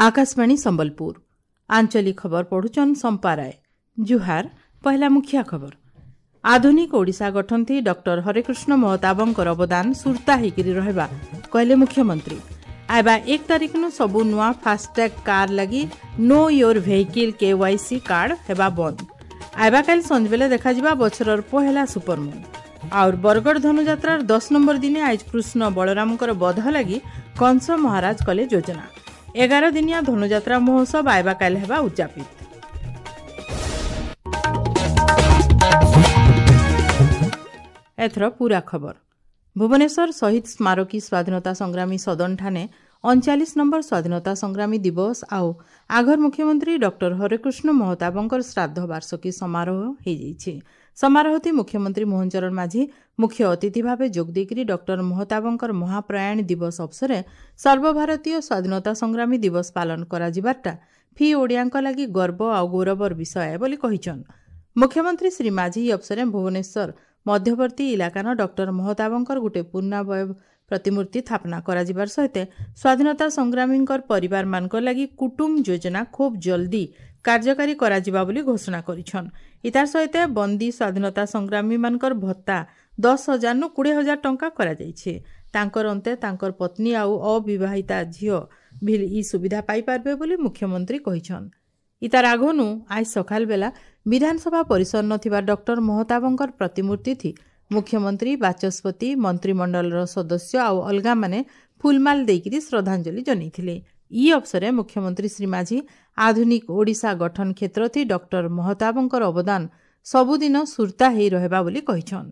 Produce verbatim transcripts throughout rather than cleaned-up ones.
ଆକାଶବାଣୀ ସମ୍ବଲପୁର ଆଞ୍ଚଳିକ ଖବର ପଢୁଛନ୍ ସମ୍ପା ରାୟ ଜୁହାର ପହିଲା ମୁଖିଆ ଖବର ଆଧୁନିକ ଓଡ଼ିଶା ଗଠନଥି ଡକ୍ଟର ହରେକୃଷ୍ଣ ମହତାବଙ୍କର ଅବଦାନ ସୁରତା ହେଇକିରି ରହିବା କହିଲେ ମୁଖ୍ୟମନ୍ତ୍ରୀ ଆଇବା ଏକ ତାରିଖନୁ ସବୁ ନୂଆ ଫାଷ୍ଟଟ୍ୟାଗ୍ କାର୍ ଲାଗି know your vehicle KYC card ହେବା ବନ୍ଦ ଆଇବା କାଲି ସଞ୍ଜବେଲେ ଦେଖାଯିବା ବଛରର ପହେଲା ସୁପରମୁନ୍ ଆଉର ବରଗଡ଼ ଧନୁଯାତ୍ରାର ଦଶ ନମ୍ବର ଦିନେ ଆଜ କୃଷ୍ଣ ବଳରାମଙ୍କର ବଧ ଲାଗି କଂସ ମହାରାଜ କଲେ ଯୋଜନା ଏଗାର ଦିନିଆ ଧନୁଯାତ୍ରା ମହୋତ୍ସବ ଆଇବା କାଲି ହେବା ଉଦଯାପିତ ଏଥର ପୁରା ଖବର ଭୁବନେଶ୍ୱର ଶହୀଦ ସ୍ମାରକୀ ସ୍ୱାଧୀନତା ସଂଗ୍ରାମୀ ସଦନଠାନେ ଅଣଚାଳିଶ ନମ୍ବର ସ୍ୱାଧୀନତା ସଂଗ୍ରାମୀ ଦିବସ ଆଉ ଆଘର ମୁଖ୍ୟମନ୍ତ୍ରୀ ଡକ୍ଟର ହରେକୃଷ୍ଣ ମହତାବଙ୍କର ଶ୍ରାଦ୍ଧ ବାର୍ଷିକୀ ସମାରୋହ ହୋଇଯାଇଛି ସମାରୋହଟି ମୁଖ୍ୟମନ୍ତ୍ରୀ ମୋହନ ଚରଣ ମାଝୀ ମୁଖ୍ୟ ଅତିଥି ଭାବେ ଯୋଗ ଦେଇକରି ଡକ୍ଟର ମହତାବଙ୍କର ମହାପ୍ରୟାଣ ଦିବସ ଅବସରେ ସର୍ବଭାରତୀୟ ସ୍ୱାଧୀନତା ସଂଗ୍ରାମୀ ଦିବସ ପାଳନ କରାଯିବାରଟା ଫି ଓଡ଼ିଆଙ୍କ ଲାଗି ଗର୍ବ ଆଉ ଗୌରବର ବିଷୟ ବୋଲି କହିଛନ୍ ମୁଖ୍ୟମନ୍ତ୍ରୀ ଶ୍ରୀ ମାଝୀ ଏହି ଅବସରେ ଭୁବନେଶ୍ୱର ମଧ୍ୟବର୍ତ୍ତୀ ଇଲାକାନ ଡକ୍ଟର ମହତାବଙ୍କର ଗୋଟେ ପୂର୍ଣ୍ଣାବୟବ ପ୍ରତିମୂର୍ତ୍ତି ସ୍ଥାପନା କରାଯିବାର ସହିତ ସ୍ୱାଧୀନତା ସଂଗ୍ରାମୀଙ୍କର ପରିବାରମାନଙ୍କ ଲାଗି କୁଟୁମ୍ବ ଯୋଜନା ଖୁବ୍ ଜଲ୍ଦି କାର୍ଯ୍ୟକାରୀ କରାଯିବା ବୋଲି ଘୋଷଣା କରିଛନ୍ ଇତାର ସହିତ ବନ୍ଦୀ ସ୍ୱାଧୀନତା ସଂଗ୍ରାମୀମାନଙ୍କର ଭତ୍ତା ଦଶ ହଜାରନୁ କୋଡ଼ିଏ ହଜାର ଟଙ୍କା କରାଯାଇଛି ତାଙ୍କର ଅନ୍ତେ ତାଙ୍କର ପତ୍ନୀ ଆଉ ଅବିବାହିତା ଝିଅ ଭିଲ୍ ଇ ସୁବିଧା ପାଇପାରିବେ ବୋଲି ମୁଖ୍ୟମନ୍ତ୍ରୀ କହିଛନ୍ ଇତାର ଆଗନୁ ଆଜ ସକାଳ ବେଲା ବିଧାନସଭା ପରିସର ଥିବା ଡକ୍ଟର ମହତାବଙ୍କର ପ୍ରତିମୂର୍ତ୍ତି ଥି ମୁଖ୍ୟମନ୍ତ୍ରୀ ବାଚସ୍ପତି ମନ୍ତ୍ରିମଣ୍ଡଳର ସଦସ୍ୟ ଆଉ ଅଲଗାମାନେ ଫୁଲମାଲ ଦେଇକିରି ଶ୍ରଦ୍ଧାଞ୍ଜଳି ଜଣାଇଥିଲେ ଇ ଅବସରେ ମୁଖ୍ୟମନ୍ତ୍ରୀ ଶ୍ରୀ ମାଝୀ ଆଧୁନିକ ଓଡ଼ିଶା ଗଠନ କ୍ଷେତ୍ରଥି ଡକ୍ଟର ମହତାବଙ୍କର ଅବଦାନ ସବୁଦିନ ସୁରତା ହେଇ ରହିବା ବୋଲି କହିଛନ୍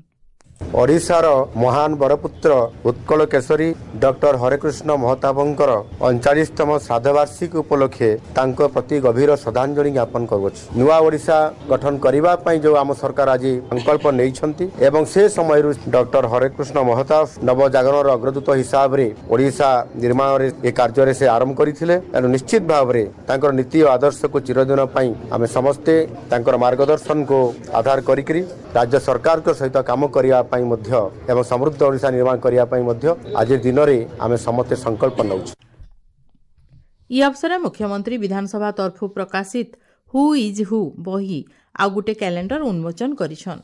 ଓଡ଼ିଶାର ମହାନ ବରପୁତ୍ର ଉତ୍କଳ କେଶରୀ ଡକ୍ଟର ହରେକୃଷ୍ଣ ମହତାବଙ୍କର ଅଣଚାଳିଶତମ ଶ୍ରାଦ୍ଧବାର୍ଷିକୀ ଉପଲକ୍ଷେ ତାଙ୍କ ପ୍ରତି ଗଭୀର ଶ୍ରଦ୍ଧାଞ୍ଜଳି ଜ୍ଞାପନ କରୁଅଛି ନୂଆ ଓଡ଼ିଶା ଗଠନ କରିବା ପାଇଁ ଯେଉଁ ଆମ ସରକାର ଆଜି ସଂକଳ୍ପ ନେଇଛନ୍ତି ଏବଂ ସେ ସମୟରୁ ଡକ୍ଟର ହରେକୃଷ୍ଣ ମହତାବ ନବଜାଗରଣର ଅଗ୍ରଦୂତ ହିସାବରେ ଓଡ଼ିଶା ନିର୍ମାଣରେ ଏ କାର୍ଯ୍ୟରେ ସେ ଆରମ୍ଭ କରିଥିଲେ ତେଣୁ ନିଶ୍ଚିତ ଭାବରେ ତାଙ୍କର ନୀତି ଓ ଆଦର୍ଶକୁ ଚିରଦିନ ପାଇଁ ଆମେ ସମସ୍ତେ ତାଙ୍କର ମାର୍ଗଦର୍ଶନକୁ ଆଧାର କରିକରି ରାଜ୍ୟ ସରକାରଙ୍କ ସହିତ କାମ କରିବା ପାଇଁ ମଧ୍ୟ ଏବଂ ସମୃଦ୍ଧ ଓଡ଼ିଶା ନିର୍ମାଣ କରିବା ପାଇଁ ମଧ୍ୟ ଆଜି ଦିନରେ ଆମେ ସମସ୍ତେ ସଂକଳ୍ପ ନେଉଛୁ ଇ ଅବସରେ ମୁଖ୍ୟମନ୍ତ୍ରୀ ବିଧାନସଭା ତରଫରୁ ପ୍ରକାଶିତ ହୁ is ହୁ ବହି ଆଉ ଗୋଟେ କ୍ୟାଲେଣ୍ଡର ଉନ୍ମୋଚନ କରିଛନ୍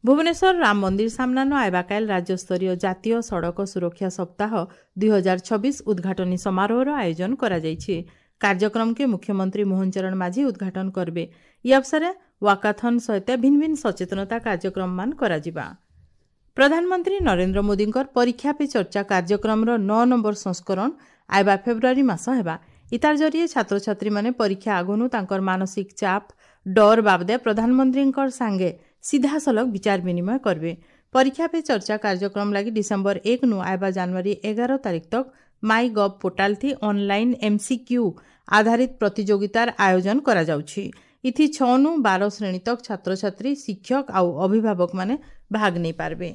ଭୁବନେଶ୍ୱର ରାମ ମନ୍ଦିର ସାମ୍ନାନ ଆଇବାକାଇଲ ରାଜ୍ୟସ୍ତରୀୟ ଜାତୀୟ ସଡ଼କ ସୁରକ୍ଷା ସପ୍ତାହ ଦୁଇ ହଜାର ଛବିଶ ଉଦ୍ଘାଟନୀ ସମାରୋହର ଆୟୋଜନ କରାଯାଇଛି କାର୍ଯ୍ୟକ୍ରମକେ ମୁଖ୍ୟମନ୍ତ୍ରୀ ମୋହନ ଚରଣ ମାଝୀ ଉଦ୍ଘାଟନ କରିବେ ଇ ଅବସରେ ୱାକାଥନ୍ ସହିତ ଭିନ୍ନ ଭିନ୍ନ ସଚେତନତା କାର୍ଯ୍ୟକ୍ରମମାନ କରାଯିବା ପ୍ରଧାନମନ୍ତ୍ରୀ ନରେନ୍ଦ୍ର ମୋଦିଙ୍କର ପରୀକ୍ଷା ପେ ଚର୍ଚ୍ଚା କାର୍ଯ୍ୟକ୍ରମର ନଅ ନମ୍ବର ସଂସ୍କରଣ ଆଇବା ଫେବୃଆରୀ ମାସ ହେବା ଇତାର ଜରିଏ ଛାତ୍ରଛାତ୍ରୀମାନେ ପରୀକ୍ଷା ଆଗନୁ ତାଙ୍କର ମାନସିକ ଚାପ ଡର ବାବଦେ ପ୍ରଧାନମନ୍ତ୍ରୀଙ୍କର ସାଙ୍ଗେ ସିଧାସଳଖ ବିଚାର ବିନିମୟ କରିବେ ପରୀକ୍ଷା ପେ ଚର୍ଚ୍ଚା କାର୍ଯ୍ୟକ୍ରମ ଲାଗି ଡିସେମ୍ବର ଏକ ନୁ ଆଇବା ଜାନୁଆରୀ ଏଗାର ତାରିଖ ତକ ମାଇ ଗଭ୍ ପୋର୍ଟାଲ ଥି ଅନଲାଇନ୍ ଏମ୍ସିକ୍ୟୁ ଆଧାରିତ ପ୍ରତିଯୋଗିତାର ଆୟୋଜନ କରାଯାଉଛି ଇଥି ଛଅନୁ ବାର ଶ୍ରେଣୀ ତକ ଛାତ୍ରଛାତ୍ରୀ ଶିକ୍ଷକ ଆଉ ଅଭିଭାବକମାନେ ଭାଗ ନେଇପାରିବେ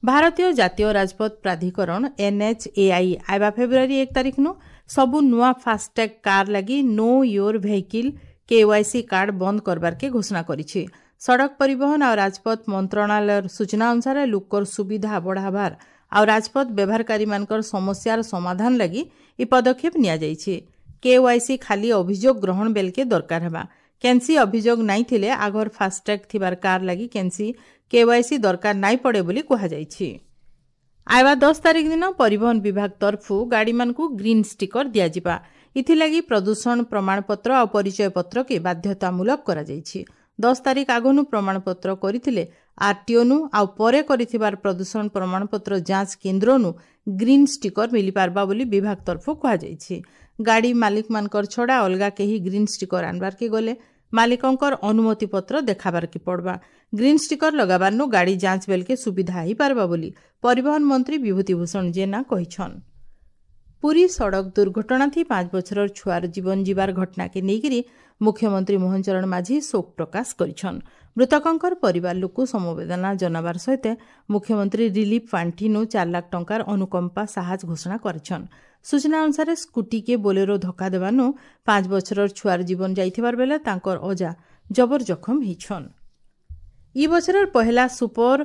ଭାରତୀୟ ଜାତୀୟ ରାଜପଥ ପ୍ରାଧିକରଣ ଏନ୍ଏଚ୍ଏଆଇ ଆଇବା ଫେବୃଆରୀ ଏକ ତାରିଖନୁ ସବୁ ନୂଆ ଫାଷ୍ଟଟ୍ୟାଗ୍ କାର୍ ଲାଗି know your vehicle KYC card ବନ୍ଦ କରବାର୍କେ ଘୋଷଣା କରିଛି ସଡ଼କ ପରିବହନ ଆଉ ରାଜପଥ ମନ୍ତ୍ରଣାଳୟର ସୂଚନା ଅନୁସାରେ ଲୋକର ସୁବିଧା ବଢ଼ାବାର ଆଉ ରାଜପଥ ବ୍ୟବହାରକାରୀମାନଙ୍କର ସମସ୍ୟାର ସମାଧାନ ଲାଗି ଏ ପଦକ୍ଷେପ ନିଆଯାଇଛି କେୱାଇସି ଖାଲି ଅଭିଯୋଗ ଗ୍ରହଣ ବେଲକେ ଦରକାର ହେବା କେନ୍ସି ଅଭିଯୋଗ ନାଇଁ ଥିଲେ ଆଗର ଫାଷ୍ଟଟ୍ୟାଗ୍ ଥିବାର କାର୍ ଲାଗି କେନ୍ସି କେୱାଇସି ଦରକାର ନାଇଁ ପଡ଼େ ବୋଲି କୁହାଯାଇଛି ଆଇବା ଦଶ ତାରିଖ ଦିନ ପରିବହନ ବିଭାଗ ତରଫରୁ ଗାଡ଼ିମାନଙ୍କୁ ଗ୍ରୀନ୍ ଷ୍ଟିକର ଦିଆଯିବା ଏଥିଲାଗି ପ୍ରଦୂଷଣ ପ୍ରମାଣପତ୍ର ଆଉ ପରିଚୟ ପତ୍ରକେ ବାଧ୍ୟତାମୂଳକ କରାଯାଇଛି ଦଶ ତାରିଖ ଆଗନୁ ପ୍ରମାଣପତ୍ର କରିଥିଲେ ଆର୍ଟିଓନୁ ଆଉ ପରେ କରିଥିବାର ପ୍ରଦୂଷଣ ପ୍ରମାଣପତ୍ର ଯାଞ୍ଚ କେନ୍ଦ୍ରନୁ ଗ୍ରୀନ୍ ଷ୍ଟିକର ମିଳିପାରବା ବୋଲି ବିଭାଗ ତରଫରୁ କୁହାଯାଇଛି ଗାଡ଼ି ମାଲିକମାନଙ୍କର ଛଡ଼ା ଅଲଗା କେହି ଗ୍ରୀନ୍ ଷ୍ଟିକର ଆଣବାର୍କେ ଗଲେ ମାଲିକଙ୍କର ଅନୁମତି ପତ୍ର ଦେଖାବାର୍କେ ପଡ଼ବା ଗ୍ରୀନ୍ ଷ୍ଟିକର ଲଗାବାର୍ନୁ ଗାଡ଼ି ଯାଞ୍ଚ ବେଲକେ ସୁବିଧା ହେଇପାରବା ବୋଲି ପରିବହନ ମନ୍ତ୍ରୀ ବିଭୂତିଭୂଷଣ ଜେନା କହିଛନ୍ ପୁରୀ ସଡ଼କ ଦୁର୍ଘଟଣାଥି ପାଞ୍ଚ ବଛରର ଛୁଆର ଜୀବନ ଯିବାର ଘଟଣାକେ ନେଇକରି ମୁଖ୍ୟମନ୍ତ୍ରୀ ମୋହନ ଚରଣ ମାଝୀ ଶୋକ ପ୍ରକାଶ କରିଛନ୍ ମୃତକଙ୍କର ପରିବାର ଲୋକ ସମବେଦନା ଜଣାବାର ସହିତ ମୁଖ୍ୟମନ୍ତ୍ରୀ ରିଲିଫ୍ ପାଣ୍ଠିନୁ ଚାରି ଲାଖ ଟଙ୍କାର ଅନୁକମ୍ପା ସାହାଯ୍ୟ ଘୋଷଣା କରିଛନ୍ ସୂଚନା ଅନୁସାରେ ସ୍କୁଟିକେ ବୋଲେରୋ ଧକ୍କା ଦେବାନୁ ପାଞ୍ଚ ବଛରର ଛୁଆର ଜୀବନ ଯାଇଥିବାର ବେଲେ ତାଙ୍କର ଅଜା ଜବର ଜଖମ ହେଇଛନ୍ ଇ ବଛରର ପହେଲା ସୁପର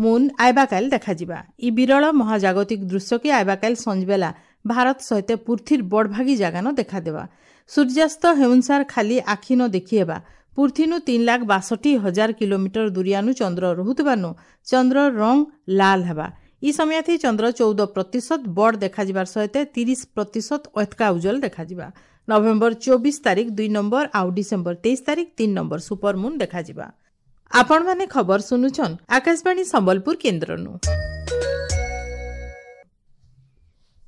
ମୁନ୍ ଆଇବାକାଇଲ ଦେଖାଯିବା ଇ ବିରଳ ମହାଜାଗତିକ ଦୃଶ୍ୟକେ ଆଇବାକାଇଲ ସଞ୍ଜବେଲା ଭାରତ ସହିତ ପୃଥିବୀର ବଡ଼ଭାଗୀ ଜାଗାନ ଦେଖାଦେବା। ସୂର୍ଯ୍ୟାସ୍ତ ହେଉନସାର ଖାଲି ଆଖି ନ ଦେଖିହେବା। ପୃଥିବୀନୁ ତିନି ଲାଖ ବାଷଠି ହଜାର କିଲୋମିଟର ଦୂରିଆନୁ ଚନ୍ଦ୍ର ରହୁଥିବାନୁ ଚନ୍ଦ୍ର ରଙ୍ଗ ଲାଲ ହେବା। ଇ ସମୟାଥି ଚନ୍ଦ୍ର ଚଉଦ ପ୍ରତିଶତ ବଡ଼ ଦେଖାଯିବାର ସହିତ ତିରିଶ ପ୍ରତିଶତ ଅତକା ଉଜ୍ଜଳ ଦେଖାଯିବା। ନଭେମ୍ବର ଚବିଶ ତାରିଖ ଦୁଇ ନମ୍ବର ଆଉ ଡିସେମ୍ବର ତେଇଶ ତାରିଖ ତିନି ନମ୍ବର ସୁପରମୁନ୍ ଦେଖାଯିବା। ଆପଣମାନେ ଖବର ଶୁଣୁଛନ୍ ଆକାଶବାଣୀ ସମ୍ବଲପୁର କେନ୍ଦ୍ରନୁ।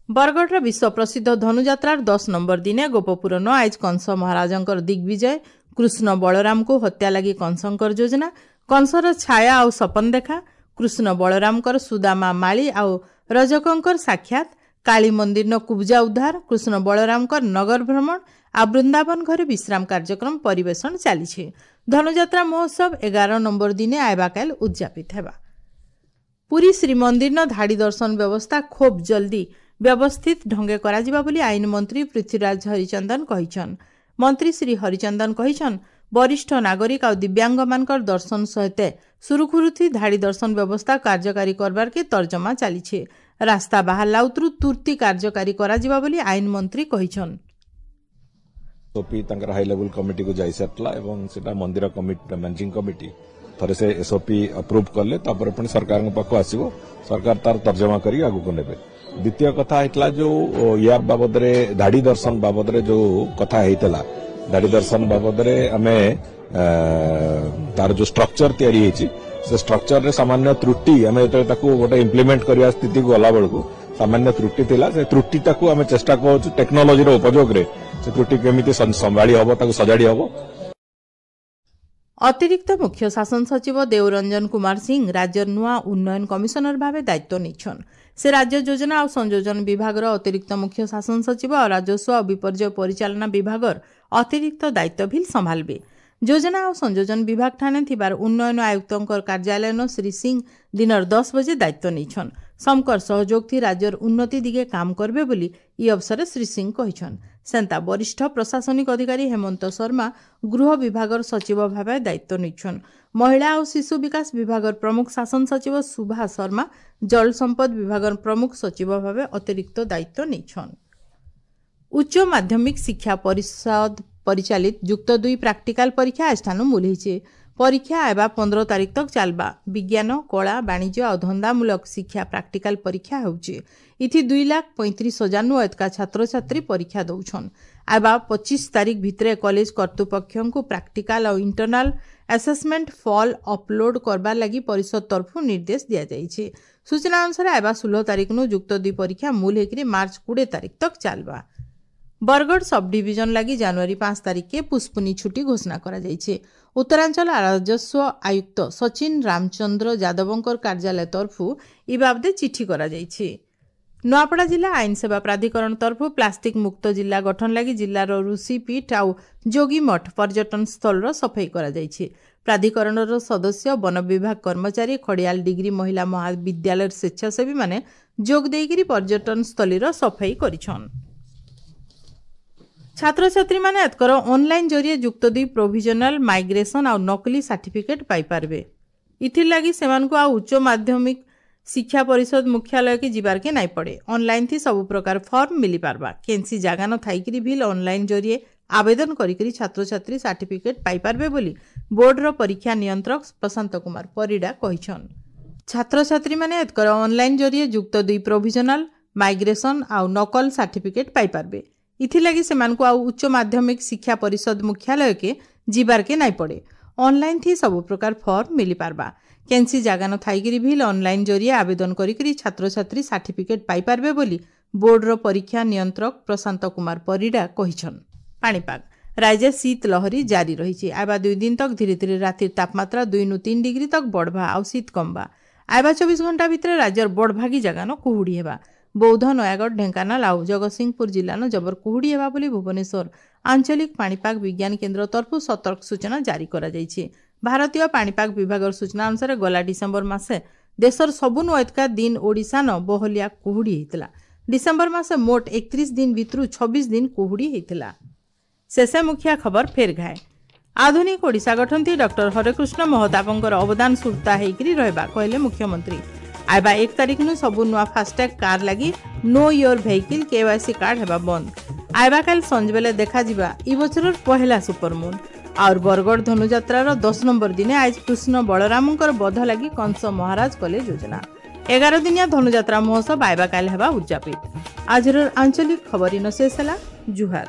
ବରଗଡ଼ର ବିଶ୍ୱ ପ୍ରସିଦ୍ଧ ଧନୁଯାତ୍ରାର ଦଶ ନମ୍ବର ଦିନେ ଗୋପପୁରନ ଆଇଜ କଂସ ମହାରାଜଙ୍କର ଦିଗ୍ବିଜୟ, କୃଷ୍ଣ ବଳରାମକୁ ହତ୍ୟା ଲାଗି କଂସଙ୍କର ଯୋଜନା, କଂସର ଛାୟା ଆଉ ସପନ ଦେଖା, କୃଷ୍ଣ ବଳରାମଙ୍କର ସୁଦାମା ମାଳି ଆଉ ରଜକଙ୍କର ସାକ୍ଷାତ, କାଳୀ ମନ୍ଦିରନ କୁବଜା ଉଦ୍ଧାର, କୃଷ୍ଣ ବଳରାମଙ୍କର ନଗର ଭ୍ରମଣ ଆଉ ବୃନ୍ଦାବନ ଘରେ ବିଶ୍ରାମ କାର୍ଯ୍ୟକ୍ରମ ପରିବେଷଣ ଚାଲିଛି। ଧନୁଯାତ୍ରା ମହୋତ୍ସବ ଏଗାର ନମ୍ବର ଦିନେ ଆଇବାକାଲ ଉଦଯାପିତ ହେବା। ପୁରୀ ଶ୍ରୀମନ୍ଦିରନ ଧାଡ଼ି ଦର୍ଶନ ବ୍ୟବସ୍ଥା ଖୁବ୍ ଜଲ୍ଦି ବ୍ୟବସ୍ଥିତ ଢଙ୍ଗେ କରାଯିବା ବୋଲି ଆଇନ ମନ୍ତ୍ରୀ ପୃଥ୍ୱୀରାଜ ହରିଚନ୍ଦନ କହିଛନ୍। ମନ୍ତ୍ରୀ ଶ୍ରୀ ହରିଚନ୍ଦନ କହିଛନ୍, ବରିଷ୍ଠ ନାଗରିକ ଆଉ ଦିବ୍ୟାଙ୍ଗମାନଙ୍କର ଦର୍ଶନ ସହିତ ସୁରୁଖୁରୁଥି ଧାଡ଼ି ଦର୍ଶନ ବ୍ୟବସ୍ଥା କାର୍ଯ୍ୟକାରୀ କରବାର୍କେ ତର୍ଜମା ଚାଲିଛି। ରାସ୍ତା ବାହାରିଲା ଉତରୁ ତୁର୍ତ୍ତି କାର୍ଯ୍ୟକାରୀ କରାଯିବା ବୋଲି ଆଇନ ମନ୍ତ୍ରୀ କହିଛନ୍। ଏସ୍ଓପି ତାଙ୍କର ହାଇ ଲେଭେଲ କମିଟିକୁ ଯାଇସାରିଥିଲା ଏବଂ ସେଟା ମନ୍ଦିର କମିଟି ମ୍ୟାନେଜିଂ କମିଟି ଥରେ ସେ ଏସ୍ଓପି ଆପ୍ରୁଭ୍ କଲେ ତାପରେ ପୁଣି ସରକାରଙ୍କ ପାଖକୁ ଆସିବ, ସରକାର ତାର ତର୍ଜମା କରି ଆଗକୁ ନେବେ। ଦ୍ୱିତୀୟ କଥା ହେଇଥିଲା ଯୋଉ ୟା ବାବଦରେ ଧାଡ଼ି ଦର୍ଶନ ବାବଦରେ ଯୋଉ କଥା ହେଇଥିଲା, ଧାଡ଼ି ଦର୍ଶନ ବାବଦରେ ଆମେ ତାର ଯୋଉ ଷ୍ଟ୍ରକ୍ଚର ତିଆରି ହେଇଛି ସେ ଷ୍ଟ୍ରକ୍ଚରରେ ସାମାନ୍ୟ ତ୍ରୁଟି, ଆମେ ଯେତେବେଳେ ତାକୁ ଗୋଟେ ଇମ୍ପ୍ଲିମେଣ୍ଟ କରିବା ସ୍ଥିତିକୁ ଗଲା ବେଳକୁ ସାମାନ୍ୟ ତ୍ରୁଟି ଥିଲା। ସେ ତ୍ରୁଟିଟାକୁ ଆମେ ଚେଷ୍ଟା କରୁଛୁ ଟେକ୍ନୋଲୋଜିର ଉପଯୋଗରେ ସେ ତ୍ରୁଟି କେମିତି ସମ୍ଭାଳି ହବ, ତାକୁ ସଜାଡ଼ି ହବ। ଅତିରିକ୍ତ ମୁଖ୍ୟ ଶାସନ ସଚିବ ଦେଓରଞ୍ଜନ କୁମାର ସିଂ ରାଜ୍ୟର ନୂଆ ଉନ୍ନୟନ କମିଶନର ଭାବେ ଦାୟିତ୍ୱ ନେଇଛନ୍। ସେ ରାଜ୍ୟ ଯୋଜନା ଆଉ ସଂଯୋଜନ ବିଭାଗର ଅତିରିକ୍ତ ମୁଖ୍ୟ ଶାସନ ସଚିବ ଆଉ ରାଜସ୍ୱ ଆଉ ବିପର୍ଯ୍ୟୟ ପରିଚାଳନା ବିଭାଗର ଅତିରିକ୍ତ ଦାୟିତ୍ୱ ବି ସମ୍ଭାଳିବେ। ଯୋଜନା ଆଉ ସଂଯୋଜନ ବିଭାଗ ଠାନେ ଥିବାର ଉନ୍ନୟନ ଆୟୁକ୍ତଙ୍କର କାର୍ଯ୍ୟାଳୟନ ଶ୍ରୀ ସିଂ ଦିନର ଦଶ ବଜେ ଦାୟିତ୍ୱ ନେଇଛନ୍। ସମକର ସହଯୋଗ ଥି ରାଜ୍ୟର ଉନ୍ନତି ଦିଗେ କାମ କରିବେ ବୋଲି ଇ ଅବସରେ ଶ୍ରୀ ସିଂ କହିଛନ୍। ସେନ୍ତା ବରିଷ୍ଠ ପ୍ରଶାସନିକ ଅଧିକାରୀ ହେମନ୍ତ ଶର୍ମା ଗୃହ ବିଭାଗର ସଚିବ ଭାବେ ଦାୟିତ୍ୱ ନେଇଛନ୍। ମହିଳା ଓ ଶିଶୁ ବିକାଶ ବିଭାଗର ପ୍ରମୁଖ ଶାସନ ସଚିବ ସୁଭା ଶର୍ମା ଜଳ ସମ୍ପଦ ବିଭାଗର ପ୍ରମୁଖ ସଚିବ ଭାବେ ଅତିରିକ୍ତ ଦାୟିତ୍ୱ ନେଇଛନ୍। ଉଚ୍ଚ ମାଧ୍ୟମିକ ଶିକ୍ଷା ପରିଷଦ ପରିଚାଳିତ ଯୁକ୍ତ ଦୁଇ ପ୍ରାକ୍ଟିକାଲ ପରୀକ୍ଷା ଆଜିଠାନୁ ମୂଲ ହେଇଛେ। ପରୀକ୍ଷା ଆଇବା ପନ୍ଦର ତାରିଖ ତକ ଚାଲବା। ବିଜ୍ଞାନ, କଳା, ବାଣିଜ୍ୟ ଆଉ ଧନ୍ଦାମୂଳକ ଶିକ୍ଷା ପ୍ରାକ୍ଟିକାଲ ପରୀକ୍ଷା ହେଉଛି। ଇଥି ଦୁଇ ଲାଖ ପଇଁତିରିଶ ହଜାରନୁ ଏତକା ଛାତ୍ରଛାତ୍ରୀ ପରୀକ୍ଷା ଦଉଛନ୍। ଆଇବା ପଚିଶ ତାରିଖ ଭିତରେ କଲେଜ କର୍ତ୍ତୃପକ୍ଷଙ୍କୁ ପ୍ରାକ୍ଟିକାଲ ଆଉ ଇଣ୍ଟରନାଲ ଆସେସମେଣ୍ଟ ଫଲ୍ ଅପଲୋଡ କରବାର ଲାଗି ପରିଷଦ ତରଫରୁ ନିର୍ଦ୍ଦେଶ ଦିଆଯାଇଛି। ସୂଚନା ଅନୁସାରେ ଆଇବା ଷୋହଳ ତାରିଖନୁ ଯୁକ୍ତ ଦୁଇ ପରୀକ୍ଷା ମୂଲ ହେଇକରି ମାର୍ଚ୍ଚ କୋଡ଼ିଏ ତାରିଖ ତକ ଚାଲବା। ବରଗଡ଼ ସବ୍ ଡିଭିଜନ ଲାଗି ଜାନୁଆରୀ ପାଞ୍ଚ ତାରିଖକେ ପୁଷ୍ପୁନି ଛୁଟି ଘୋଷଣା କରାଯାଇଛି। ଉତ୍ତରାଞ୍ଚଳ ରାଜସ୍ୱ ଆୟୁକ୍ତ ସଚିନ ରାମଚନ୍ଦ୍ର ଯାଦବଙ୍କର କାର୍ଯ୍ୟାଳୟ ତରଫରୁ ଇ ବାବଦେ ଚିଠି କରାଯାଇଛି। ନୂଆପଡ଼ା ଜିଲ୍ଲା ଆଇନ ସେବା ପ୍ରାଧିକରଣ ତରଫରୁ ପ୍ଲାଷ୍ଟିକ୍ ମୁକ୍ତ ଜିଲ୍ଲା ଗଠନ ଲାଗି ଜିଲ୍ଲାର ଋଷିପୀଠ ଆଉ ଯୋଗୀମଠ ପର୍ଯ୍ୟଟନ ସ୍ଥଳର ସଫେଇ କରାଯାଇଛି। ପ୍ରାଧିକରଣର ସଦସ୍ୟ, ବନ ବିଭାଗ କର୍ମଚାରୀ, ଖଡ଼ିଆଲ ଡିଗ୍ରୀ ମହିଳା ମହାବିଦ୍ୟାଳୟର ସ୍ୱେଚ୍ଛାସେବୀମାନେ ଯୋଗ ଦେଇକରି ପର୍ଯ୍ୟଟନ ସ୍ଥଳୀର ସଫେଇ କରିଛନ୍। ଛାତ୍ରଛାତ୍ରୀମାନେ ଏତକର ଅନଲାଇନ୍ ଜରିଏ ଯୁକ୍ତ ଦୁଇ ପ୍ରୋଭିଜନାଲ ମାଇଗ୍ରେସନ୍ ଆଉ ନକଲି ସାର୍ଟିଫିକେଟ୍ ପାଇପାରିବେ। ଇଥିର୍ଲାଗି ସେମାନଙ୍କୁ ଆଉ ଉଚ୍ଚ ମାଧ୍ୟମିକ ଶିକ୍ଷା ପରିଷଦ ମୁଖ୍ୟାଳୟକେ ଯିବାର୍କେ ନାଇଁ ପଡ଼େ। ଅନଲାଇନ୍ ଥି ସବୁ ପ୍ରକାର ଫର୍ମ ମିଳିପାରବା। କେନ୍ସି ଜାଗା ନ ଥାଇକିରି ଭିଲ୍ ଅନଲାଇନ୍ ଜରିଏ ଆବେଦନ କରିକିରି ଛାତ୍ରଛାତ୍ରୀ ସାର୍ଟିଫିକେଟ୍ ପାଇପାରିବେ ବୋଲି ବୋର୍ଡର ପରୀକ୍ଷା ନିୟନ୍ତ୍ରକ ପ୍ରଶାନ୍ତ କୁମାର ପରିଡ଼ା କହିଛନ୍। ଛାତ୍ରଛାତ୍ରୀମାନେ ଏତକର ଅନଲାଇନ୍ ଜରିଏ ଯୁକ୍ତ ଦୁଇ ପ୍ରୋଭିଜନାଲ ମାଇଗ୍ରେସନ୍ ଆଉ ନକଲ ସାର୍ଟିଫିକେଟ୍ ପାଇପାରିବେ। ଇଥିଲାଗି ସେମାନଙ୍କୁ ଆଉ ଉଚ୍ଚ ମାଧ୍ୟମିକ ଶିକ୍ଷା ପରିଷଦ ମୁଖ୍ୟାଳୟକେ ଯିବାର୍କେ ନାଇଁ ପଡ଼େ। ଅନଲାଇନ୍ ଥି ସବୁ ପ୍ରକାର ଫର୍ମ ମିଳିପାରବା। କେନ୍ସି ଜାଗା ନ ଥାଇକିରି ଭିଲ୍ ଅନଲାଇନ୍ ଜରିଏ ଆବେଦନ କରିକିରି ଛାତ୍ରଛାତ୍ରୀ ସାର୍ଟିଫିକେଟ୍ ପାଇପାରିବେ ବୋଲି ବୋର୍ଡର ପରୀକ୍ଷା ନିୟନ୍ତ୍ରକ ପ୍ରଶାନ୍ତ କୁମାର ପରିଡ଼ା କହିଛନ୍। ପାଣିପାଗ ରାଜ୍ୟ ଶୀତ ଲହରୀ ଜାରି ରହିଛି। ଆଇବା ଦୁଇ ଦିନ ତକ ଧୀରେ ଧୀରେ ରାତିର ତାପମାତ୍ରା ଦୁଇ ନୁ ତିନି ଡିଗ୍ରୀ ତକ ବଢ଼ବା ଆଉ ଶୀତ କମବା। ଆଇବା ଚବିଶ ଘଣ୍ଟା ଭିତରେ ରାଜ୍ୟର ବଡ଼ଭାଗୀ ଜାଗାନ କୁହୁଡ଼ି ହେବା। ବୌଦ୍ଧ, ନୟାଗଡ଼, ଢେଙ୍କାନାଳ ଆଉ ଜଗତସିଂହପୁର ଜିଲ୍ଲାନ ଜବର କୁହୁଡ଼ି ହେବା ବୋଲି ଭୁବନେଶ୍ୱର ଆଞ୍ଚଳିକ ପାଣିପାଗ ବିଜ୍ଞାନ କେନ୍ଦ୍ର ତରଫରୁ ସତର୍କ ସୂଚନା ଜାରି କରାଯାଇଛି। ଭାରତୀୟ ପାଣିପାଗ ବିଭାଗର ସୂଚନା ଅନୁସାରେ ଗଲା ଡିସେମ୍ବର ମାସେ ଦେଶର ସବୁନୁ ଏତକା ଦିନ ଓଡ଼ିଶାନ ବହଲିଆ କୁହୁଡ଼ି ହେଇଥିଲା। ଡିସେମ୍ବର ମାସେ ମୋଟ ଏକତିରିଶ ଦିନ ଭିତରୁ ଛବିଶ ଦିନ କୁହୁଡ଼ି ହେଇଥିଲା। ଶେଷେ ମୁଖିଆ ଖବର ଫେର ଘାଏ। ଆଧୁନିକ ଓଡ଼ିଶା ଗଠନଥି ଡକ୍ଟର ହରେକୃଷ୍ଣ ମହତାବଙ୍କର ଅବଦାନ ସୁରତା ହେଇକରି ରହିବା କହିଲେ ମୁଖ୍ୟମନ୍ତ୍ରୀ। ଆଇବା ଏକ ତାରିଖନୁ ସବୁ ନୂଆ ଫାଷ୍ଟ୍ୟାଗ କାର୍ ଲାଗି know your vehicle KYC card ହେବା ବନ୍ଦ। ଆଇବା କାଲି ସଞ୍ଜବେଲେ ଦେଖାଯିବା ଇ ବଛରର ପହେଲା ସୁପରମୁନ୍। ଆଉର ବରଗଡ଼ ଧନୁଯାତ୍ରାର ଦଶ ନମ୍ବର ଦିନେ ଆଜ କୃଷ୍ଣ ବଳରାମଙ୍କର ବଧ ଲାଗି କଂସ ମହାରାଜ କଲେ ଯୋଜନା। ଏଗାର ଦିନିଆ ଧନୁଯାତ୍ରା ମହୋତ୍ସବ ଆଇବା କାଲି ହେବା ଉଦଯାପିତ। ଆଜିର ଆଞ୍ଚଳିକ ଖବର ଇନ ଶେଷ ହେଲା। ଜୁହାର।